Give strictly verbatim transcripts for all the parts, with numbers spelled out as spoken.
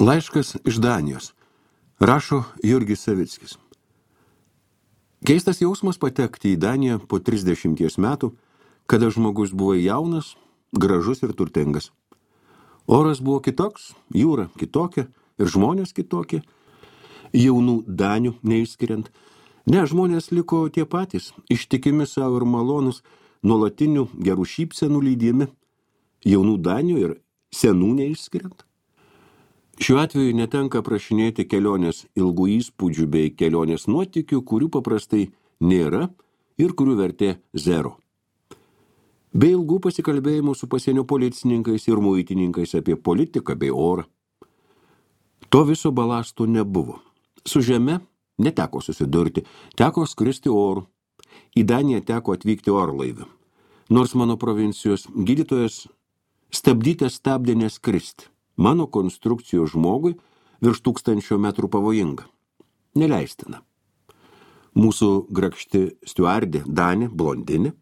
Laiškas iš Danijos. Rašo Jurgis Savickis. Keistas jausmas patekti į Daniją po trisdešimties metų, kada žmogus buvo jaunas, gražus ir turtingas. Oras buvo kitoks, jūra kitokia ir žmonės kitokie, jaunų Danių neišskiriant. Ne, žmonės liko tie patys, ištikimi savo ir malonus, nuolatinių gerų šypsenų lydimi, jaunų Danių ir senų neišskiriant. Šiuo atveju netenka prašinėti kelionės ilgų įspūdžių bei kelionės nuotykių, kurių paprastai nėra ir kurių vertė zero. Bei ilgų pasikalbėjimų su pasienio policininkais ir muitininkais apie politiką bei orą. To viso balasto nebuvo. Su žeme neteko susidurti, teko skristi oru. Į Daniją teko atvykti orlaiviu. Nors mano provincijos gydytojas stabdytas stabdė neskristi. Mano konstrukcijos žmogui virš tūkstančio metrų pavojinga. Neleistina. Mūsų grakšti stiuardė Danė, blondinė,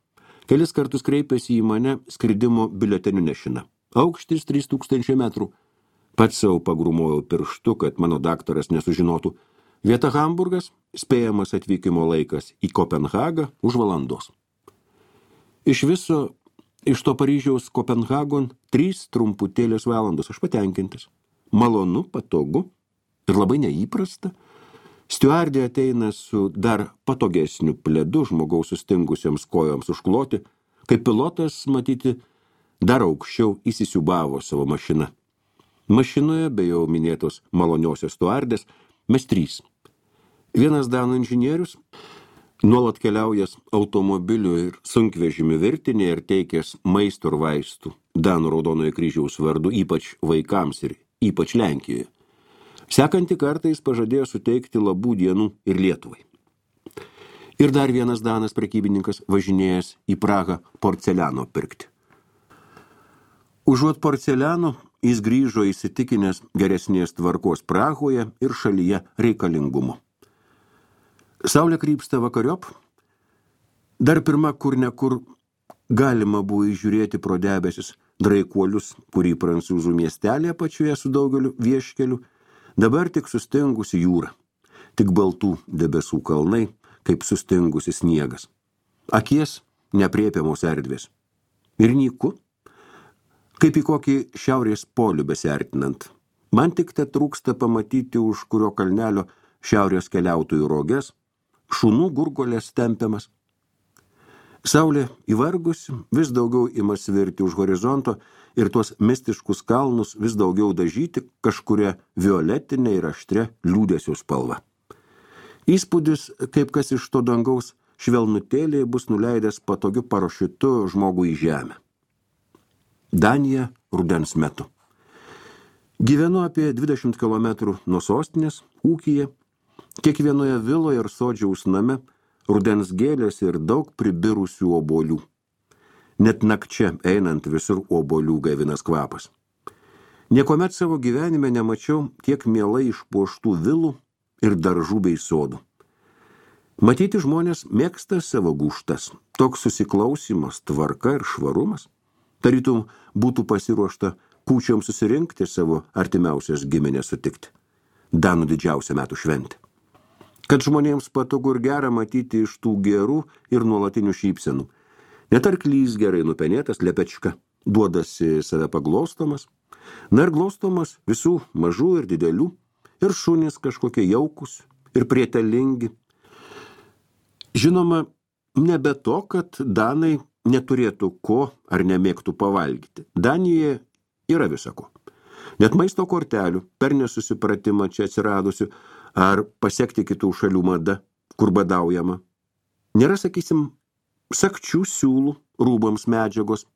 kelis kartus kreipėsi į mane skridimo biuletenių nešina. Aukštis trys tūkstančiai metrų. Pats savo pagrūmojau pirštu, kad mano daktaras nesužinotų. Vieta Hamburgas, spėjamas atvykimo laikas į Kopenhagą už valandos. Iš viso Iš to Paryžiaus Kopenhagon trys trumputėlės valandos, aš patenkintas. Malonu, patogu ir labai neįprasta. Stiuardė ateina su dar patogesniu pledu žmogaus sustingusiams kojoms užkloti, kaip pilotas, matyti, dar aukščiau įsisiubavo savo mašiną. Mašinoje, be jau minėtos maloniosios stiuardės, mes trys. Vienas danų inžinierius, nuolat keliaujas automobilių ir sunkvežimių virtinė ir teikęs maisto ir vaistų Danų Raudonojo kryžiaus vardu, ypač vaikams ir ypač Lenkijoje. Sekantį kartą jis pažadėjo suteikti labų dienų ir Lietuvai. Ir dar vienas Danas prekybininkas važinėjęs į Prahą porceliano pirkti. Užuot porceliano, jis grįžo įsitikinęs geresnės tvarkos Prahoje ir šalyje reikalingumo. Saulė krypsta vakariop, dar pirma kur ne kur galima buvo įžiūrėti pro debesis draikuolius, kurį prancūzų miestelė pačioje su daugeliu vieškelių, dabar tik sustingusi jūra, tik baltų debesų kalnai, kaip sustingusi sniegas. Akies nepriepiamos erdvės. Ir nyku, kaip į kokį šiaurės polių besiartinant. Man tik te trūksta pamatyti už kurio kalnelio šiaurės keliautojų roges, šunų gurgolės tempiamas. Saulė įvargusi, vis daugiau ima svirti už horizonto ir tuos mistiškus kalnus vis daugiau dažyti kažkuria violetinė ir aštria liūdesio spalva. Įspūdis, kaip kas iš to dangaus švelnutėliai bus nuleidęs patogiu parašiutu žmogų į žemę. Danija rudens metu. Gyvenu apie dvidešimt kilometrų nuo sostinės, ūkyje. Kiekvienoje viloje ir sodžiaus name rudens gėlės ir daug pribirusių obuolių. Net nakčia einant visur obuolių gaivinas kvapas. Niekuomet savo gyvenime nemačiau tiek mielai išpuoštų vilų ir daržų bei sodų. Matyti žmonės mėgsta savo gūštas, toks susiklausimas, tvarka ir švarumas. Tarytum būtų pasiruošta kūčiom susirinkti savo artimiausias giminės sutikti. Danų didžiausia metų šventė. Kad žmonėms patogu ir gera matyti iš tų gerų ir nuolatinių šypsenų. Net arklys gerai nupenėtas lepečka, duodasi save paglostomas, na ir glostomas visų mažų ir didelių, ir šunys kažkokie jaukus ir prietelingi. Žinoma, ne be to, kad Danai neturėtų ko ar nemėgtų pavalgyti. Danijoje yra visako. Net maisto kortelių, per nesusipratimą čia atsiradusių, ar pasiekti kitų šalių mada, kur badaujama. Nėra, sakysim, sakčių siūlų, rūbams medžiagos,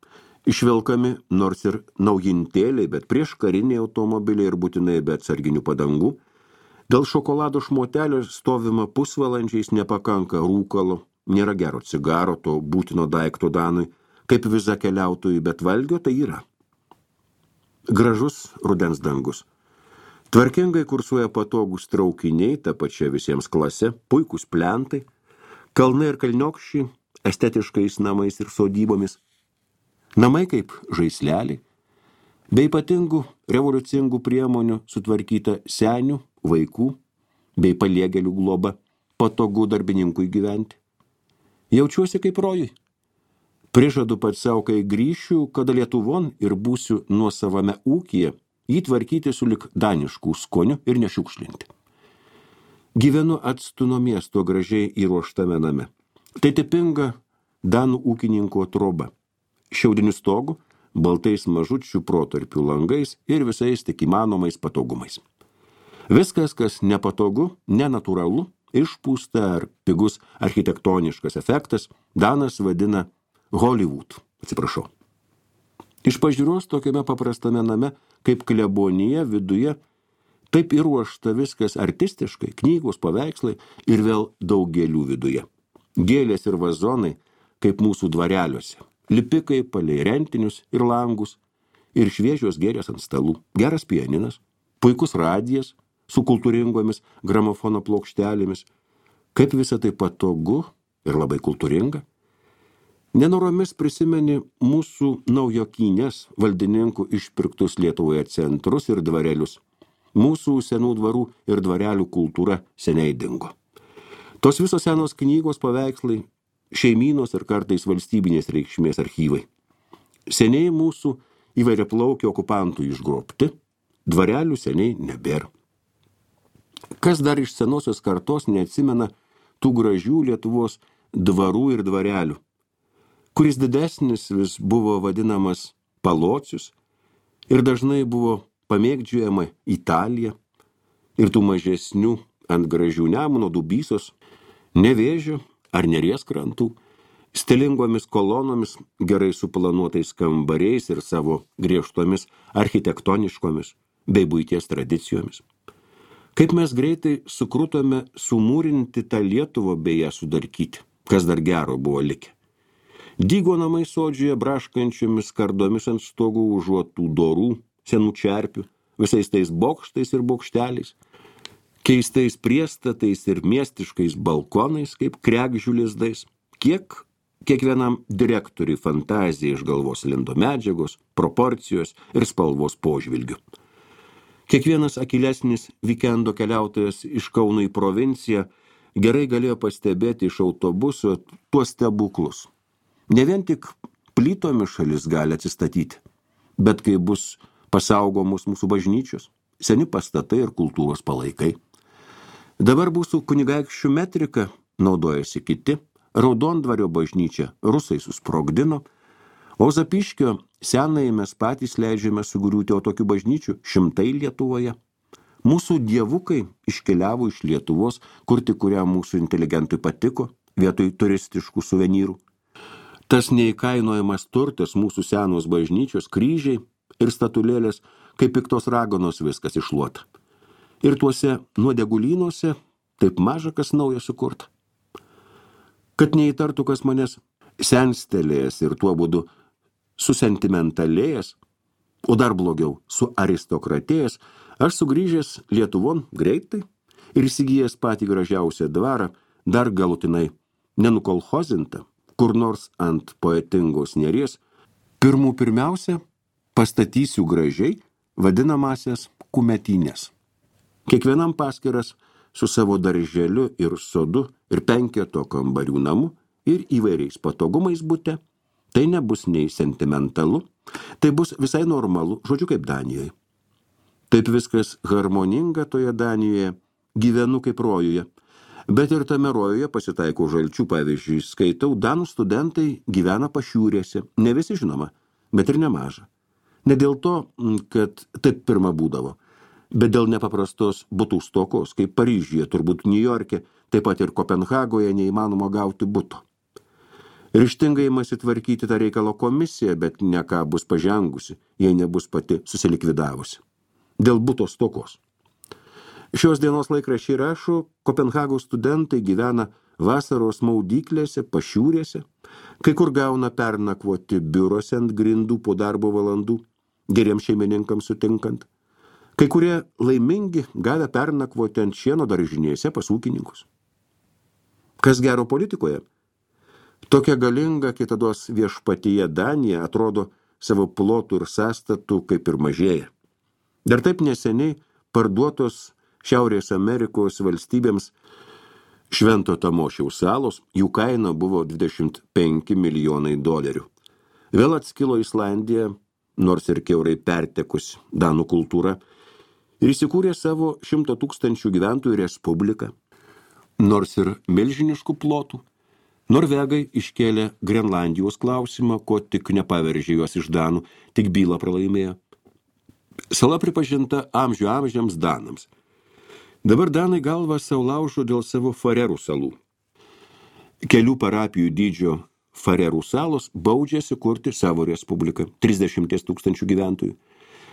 išvelkami nors ir naujintėliai, bet prieš kariniai automobiliai ir būtinai be atsarginių padangų. Dėl šokolado šmotelio stovima pusvalandžiais nepakanka rūkalo, nėra gero cigaro, to būtino daikto Danui, kaip viza keliautojų, bet valgio tai yra. Gražus rudens dangus. Tvarkingai kursuoja patogūs traukiniai, ta pačia visiems klase, puikūs plentai, kalnai ir kalniokščiai, estetiškais namais ir sodybomis. Namai kaip žaisleliai, Be ypatingų revoliucingų priemonių sutvarkyta senių, vaikų bei paliegėlių globa, patogu darbininkui gyventi. Jaučiuosi kaip rojui. Prižadu pats savo, kai grįšiu, kada Lietuvon ir būsiu nuosavame ūkyje, jį tvarkyti sulik daniškų skonių ir nešiukšlinti. Gyvenu atstu nuo miesto gražiai įruoštame name. Tai tipinga danų ūkininko troba. Šiaudiniu stogu, baltais mažučių protarpių langais ir visais tik įmanomais patogumais. Viskas, kas nepatogu, nenatūralu, išpūsta ar pigus architektoniškas efektas, danas vadina Hollywood, atsiprašau. Iš pažiūros tokiame paprastame name, kaip klebonija viduje, taip ir ruošta viskas artistiškai, knygos, paveikslai ir vėl daug gėlių viduje. Gėlės ir vazonai, kaip mūsų dvareliuose, lipikai palei rentinius ir langus, ir šviežios gėlės ant stalų, geras pianinas, puikus radijas su kultūringomis gramofono plokštelėmis, kaip visa tai patogu ir labai kultūringa. Nenoromis prisimeni mūsų naujokynės valdininkų išpirktus Lietuvoje centrus ir dvarelius. Mūsų senų dvarų ir dvarelių kultūra seniai dingo. Tos visos senos knygos, paveikslai, šeimynos ir kartais valstybinės reikšmės archyvai. Seniai mūsų įvairiaplaukių okupantų išgrobti, dvarelių seniai nebėra. Kas dar iš senosios kartos neatsimena tų gražių Lietuvos dvarų ir dvarelių, kuris didesnis vis buvo vadinamas Palocius ir dažnai buvo pamėgdžiojama Italija ir tų mažesnių ant gražių Nemuno Dubysos, Nevėžio ar Neries krantų, stilingomis kolonomis, gerai suplanuotais kambariais ir savo griežtomis architektoniškomis bei buities tradicijomis. Kaip mes greitai sukrutome sumūrinti tą Lietuvą bei ją sudarkyti, kas dar gero buvo likę. Dygo namai sodžioje braškančiomis kardomis ant stogų užuotų dorų, senų čerpių, visais tais bokštais ir bokšteliais, keistais priestatais ir miestiškais balkonais, kaip kregždžių lizdais, kiek kiekvienam direktoriui fantazija iš galvos lindo medžiagos, proporcijos ir spalvos požvilgių. Kiekvienas akylesnis vikendo keliautojas iš Kauno į provinciją gerai galėjo pastebėti iš autobuso tuos stebuklus. Ne vien tik plytomis šalis gali atsistatyti, bet kai bus pasaugomos mūsų bažnyčios, seni pastatai ir kultūros palaikai. Dabar mūsų kunigaikščių metrika naudojasi kiti, Raudondvario bažnyčią rusai susprogdino, o Zapiškio senąjį mes patys leidžiame sugriūti, o tokių bažnyčių šimtai Lietuvoje. Mūsų dievukai iškeliavo iš Lietuvos, kur tik kuriam mūsų inteligentui patiko, vietoj turistiškų suvenyrų. Tas neįkainojamas turtas mūsų senos bažnyčios, kryžiai ir statulėlės, kaip piktos raganos viskas išluota. Ir tuose nuodegulynuose taip maža kas nauja sukurta. Kad neįtartų kas manęs senstelėjęs ir tuo būdu susentimentalėjęs, o dar blogiau su aristokratėjęs, aš sugrįžęs Lietuvon greitai ir įsigijęs patį gražiausią dvarą, dar galutinai nenukolhozintą, kur nors ant poetingos Neries, pirmų pirmiausia pastatysiu gražiai vadinamasias kumetynės. Kiekvienam paskiras su savo darželiu ir sodu ir penketo kambarių namu ir įvairiais patogumais bute, tai nebus nei sentimentalu, tai bus visai normalu, žodžiu kaip Danijoje. Taip viskas harmoninga toje Danijoje, gyvenu kaip rojuje, bet ir tame rojuje pasitaiko žalčių, pavyzdžiui, skaitau, danų studentai gyvena pašiūrėse, ne visi žinoma, bet ir nemaža. Ne dėl to, kad taip pirma būdavo, bet dėl nepaprastos butų stokos, kaip Paryžiuje, turbūt Niujorke, taip pat ir Kopenhagoje neįmanoma gauti buto. Ryžtingai imasi tvarkyti tą reikalo komisiją, bet ne ką bus pažengusi, jei nebus pati susilikvidavusi. Dėl buto stokos. Šios dienos laikraščiai rašo, Kopenhagos studentai gyvena vasaros maudyklėse, pašiūrėse, kai kur gauna pernakvoti biurose ant grindų po darbo valandų, geriems šeimininkams sutinkant. Kai kurie laimingi gavę pernakvoti ant šieno daržinėse pas ūkininkus. Kas gero politikoje? Tokia galinga kitados viešpatyje Danija atrodo savo plotų ir sąstatų kaip ir mažėja. Dar taip neseniai parduotos Šiaurės Amerikos valstybėms Švento Tamošiaus salos, jų kaina buvo dvidešimt penki milijonai dolerių. Vėl atskilo Islandija, nors ir kiaurai pertekus danų kultūra, ir įsikūrė savo šimto tūkstančių gyventojų respubliką. Nors ir milžiniškų plotų, Norvegai iškėlė Grenlandijos klausimą, ko tik nepaveržė juos iš danų, tik bylą pralaimėjo. Sala pripažinta amžių amžiams danams. Dabar danai galvą savo laužo dėl savo Farerų salų. Kelių parapijų dydžio Farerų salos baudžiasi kurti savo respubliką, trisdešimt tūkstančių gyventojų.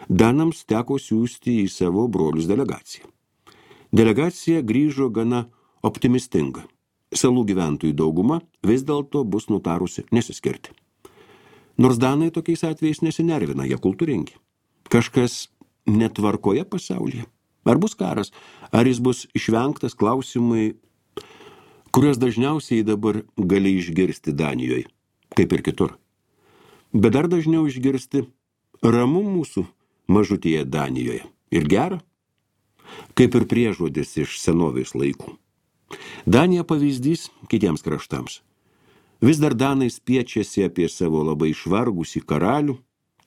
Danams teko siųsti į savo brolius delegaciją. Delegacija grįžo gana optimistinga. Salų gyventojų dauguma vis dėlto bus nutarusi nesiskirti. Nors danai tokiais atvejais nesinervina, jie kultūringi. Kažkas netvarkoje pasaulyje. Ar bus karas, ar jis bus išvengtas, klausimai, kuriuos dažniausiai dabar gali išgirsti Danijoje, kaip ir kitur. Bet dar dažniau išgirsti ramu mūsų mažutėje Danijoje. Ir gera, kaip ir priežodis iš senovės laikų. Danija pavyzdys kitiems kraštams. Vis dar danai spiečiasi apie savo labai išvargusį karalių,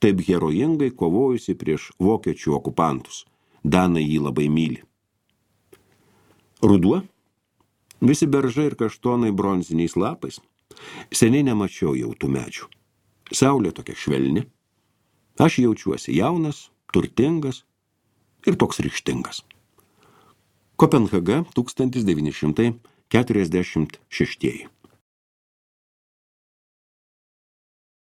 taip herojingai kovojusi prieš vokiečių okupantus. Danai jį labai myli. Ruduo, visi beržai ir kaštonai bronziniais lapais. Seniai nemačiau jau tų medžių. Saulė tokia švelni. Aš jaučiuosi jaunas, turtingas ir toks ryžtingas. Kopenhaga, tūkstantis devyni šimtai keturiasdešimt šeštieji.